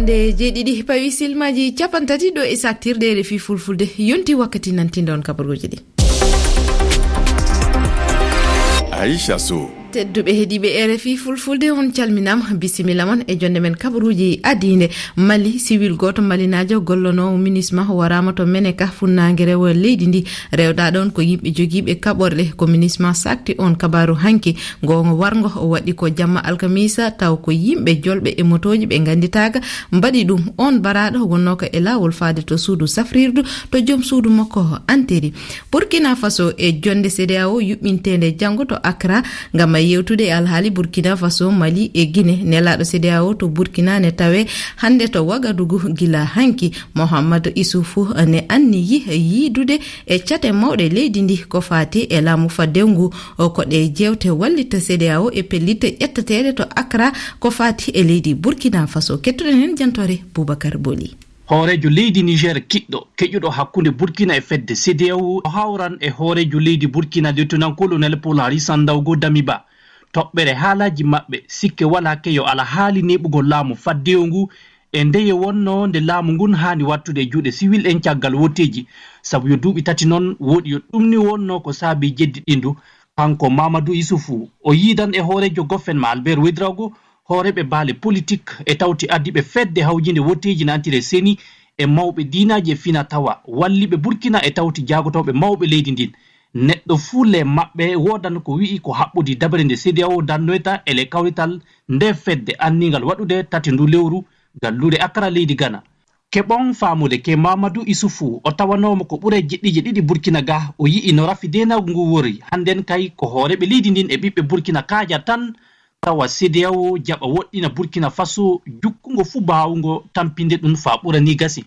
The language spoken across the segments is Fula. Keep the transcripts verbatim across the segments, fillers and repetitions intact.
E jeeɗiɗi pawi silmaaji capanɗe tati ɗo e saktirde R F I Fulfulde. Yonti wakkati nantinɗon kabaruuji ɗi. Aisha Sow. Tedduɓe heɗiiɓe R F I Fulfulde, on calminaama, bisimilla mon e jonde men kabaruuji adiinde. Mali, siwil gooto malinaajo gollonoowo MINUSMA waraama to Meneka, funnaange rewo leydi ndi. Rewɗaa ɗon ko yimɓe jogiiɓe kaɓorɗe, ko MINUSMA sakti on kabaaru hanki. Ngoongo warngo o waɗi ko jamma alkamisa, taw ko yimɓe jolɓe e motooji ɓe ngannditaaka mbaɗi ɗum. On baraaɗo wonnoo ko e laawol faade to suudu safrirdu to joom suudu makko anteri. Burkina Faso e jonde C D A O yuɓɓinteende janngo to Accra ngam yewtude e alhaali Burkina Faso, Mali e Guinée. Nelaaɗo C D A O to Burkina ne tawe hannde to Wagadugu gila hanki. Mohammad Isufu ne anniyi yiidude e cate mawɗe leydi ndi ko faati e laamu faddewu ngu. O ko ɗe jeewte wallita C D A O e pellitte ƴetteteeɗe to Accra ko faati e leydi Burkina Faso. Kettuɗen heen jantoore Boubacar Boli. Hooreejo leydi Niger kiɗɗo, keƴuɗo hakkunde Burkina e fedde C D A O, o hawran e hooreejo leydi Burkina, Lieutenant-colonel Paul Henri Sandaogo Damiba. Toɓɓere haalaaji maɓɓe, sikke walaa keyo ala haali neeɓugol laamu faddewu ngu, e ndeye wonnoo nde laamu ngun haani wattude e juuɗe siwil en caggal wotteeji, sabu yo duuɓi tati non woɗi yo ɗum ni wonnoo ko saabii jeddiɗindu. Kanko Mamadou Issoufou, o yiidan e hooreejo Gofen ma Albert Ouedraogo, hooreeɓe baale politik e tawti ardiiɓe fedde hawjinde wotteeji nantire seni e mawɓe diinaaji e fina tawa walliiɓe Burkina e tawti jaagotooɓe mawɓe leydi ndin. Neɗɗo fuu le maɓɓe woodan ko wi'i ko haɓɓodi dabere nde C D A O dannoyta e le kawrital nde fedde anniingal waɗude tati ndu lewru galluure Accra leydi Ghana. Keɓon faamude ke Mamadou Issoufou, o tawanooma ko ɓure jiɗɗiije ɗiɗi Burkina ga, o yi'i no rafi deenaagu ngu wori. Hannden kay ko hooreeɓe leydi ndin e ɓiɓɓe Burkina kaaja tan tawa C D A O jaɓa woɗɗina Burkina Faso jukkungo fuu baawungo tampinde ɗum faa ɓura ni gasi.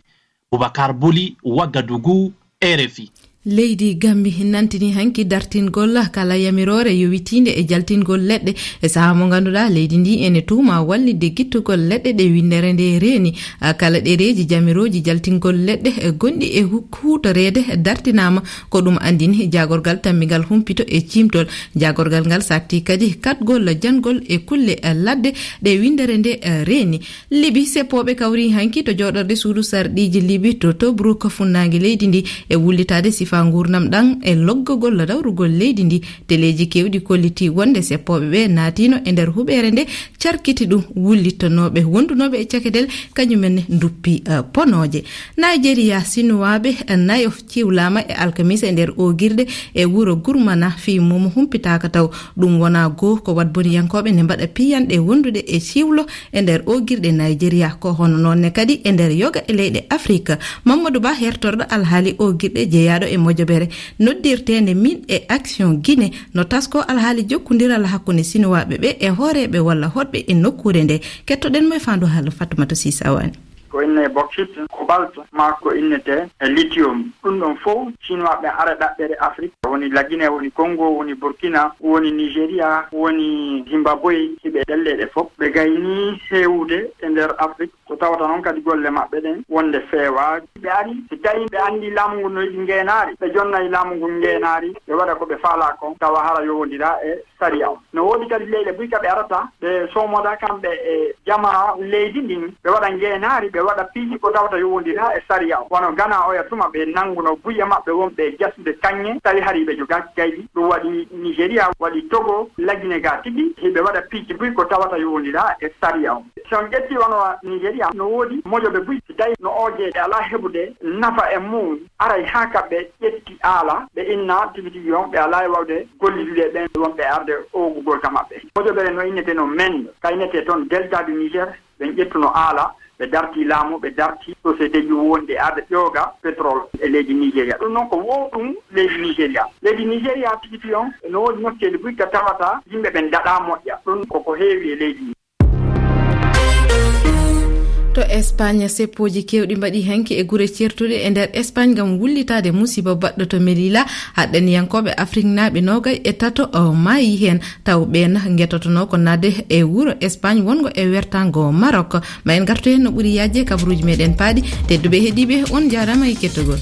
Boubacar Boli, Ouagadougou, R F I. Leydi Gambi nantini hanki dartingol kala yamiroore yowitiinde e jaltingol leɗɗe. E sahaa mo ngannduɗaa leydi ndi ene tuuma wallitde gittugol leɗɗe ɗe winndere nde reeni. A, kala ɗereeji jamirooji jaltingol leɗɗe, e, gonɗi e hu-, huutoreede dartinaama. Ko ɗum anndini jaagorgal tammingal humpito e ciimtol. Jaagorgal ngal sakti kadi kaɗgol janngol e kulle, e, ladde ɗe winndere nde, e, reeni. Libi, seppooɓe kawri hanki to jooɗorde suudu sarɗiiji Libi to Tobruk, funnaange leydi ndi, e wullitaade sifaa nguurndam ɗam e loggagol dawrugol leydi ndi. Teleeji keewɗi kolliti wonde seppooɓe ɓe naatino e nder huɓeere nde carkiti ɗum wullittanooɓe wondunooɓe e cakedel, kañumen ne nduppi, eh, ponooje. Nigeria, Sinuwaaɓe, eh, nayo ciwlaama e alkamisa e nder oogirɗe e wuro Gurmana, fii mum humpitaaka taw. Ɗum wonaa goo ko waɗboniyankooɓe ne mbaɗa piyanɗe wondude e ciwlo e nder oogirɗe Nigeria. Ko hono noon ne kadi e nder yoga e leyɗe Afrik. Mamadou Ba, hertorɗo alhaali oogirɗe jeyaaɗo e mojobere noddirteende Min e Action Guinée, no tasko alhaali jokkondiral hakkunde Sinuwaaɓe ɓe e hooreeɓe walla hoɗɓe e nokkuure nde. Kettoɗen mo e faandu haala Fatoumata Sisa Wani. Ko inne bauxite, cobalt, maa ko innetee e lithium. Ɗum ɗon fof, Sinuwaaɓe ara ɗaɓɓere Afrik. Woni La Guinée, woni Congo, woni Burkina, woni Nigeria, woni Zimbabwe, hiɓe ɗelleeɗe fof. Ɓe gayni heewude e nder Afrik. Ko tawata noon kadi golle maɓɓe ɗen wonde feewaa. Ɓe ari, si tawi ɓe anndi laamu ngun no yiɗi ngeenaari, ɓe jonnay laamu ngun ngeenaari, ɓe waɗa ko ɓe faalaa kon, tawa hara yowondira e sariya on. No woodi kadi leyɗe buy ka ɓe arata, ɓe soomoda kamɓe e jama leydi ndin, ɓe waɗa ngeenaari, ɓe waɗa piiji ko tawata yowondira e sariya on. Wano Ghana oya tuma ɓe nannguno buye maɓɓe wonɓe e jasude kaŋŋe, tawi hari ɓe jogaaki kaydi. Ɗum waɗi Nigeria, waɗi Togo, La Guinée ga tigi, hiɓe waɗa piiji buy ko tawata yowondira e sariya on. Si on ƴetti wano Nigeria, no woodi mojobe buy, si tawi no ooje ɓe alaa heɓude nafa e mum, aray haa ka ɓe ƴetti aala, ɓe inna tigi tigi on, ɓe alaa e wawde gollidude ɓen wonɓe arde oogugol ka maɓɓe. Mojobere no innete no Men, ka innete toon Delta du Niger, ɓen ƴettuno aala, ɓe darti laamu, ɓe darti société ji wonde arde ƴooga pétrole e leydi Nigeria. Ɗum noon ko wo ɗum leydi Nigeria. Leydi Nigeria tigi tigi on, no woodi nokkeeli buy ka tawata yimɓe ɓen daɗaa moƴƴa. Ɗum ko ko heewi e leydi ndi. To Espagne, seppooji keewɗi mbaɗi hanki e gure ceertuɗe e nder Espagne ngam wullitaade musiba baɗɗo to Melilla. Haɗɗaniyankooɓe Afriknaaɓe noogay e tato o maayi heen. Taw ɓeen ngetotonoo ko naatde e wuro Espagne wongo e wertaango Maroc. Ma en ngartu heen no ɓuri yaajde kabaruuji meɗen paaɗi. Tedduɓe heɗiiɓe, on njaaraama e kettogol.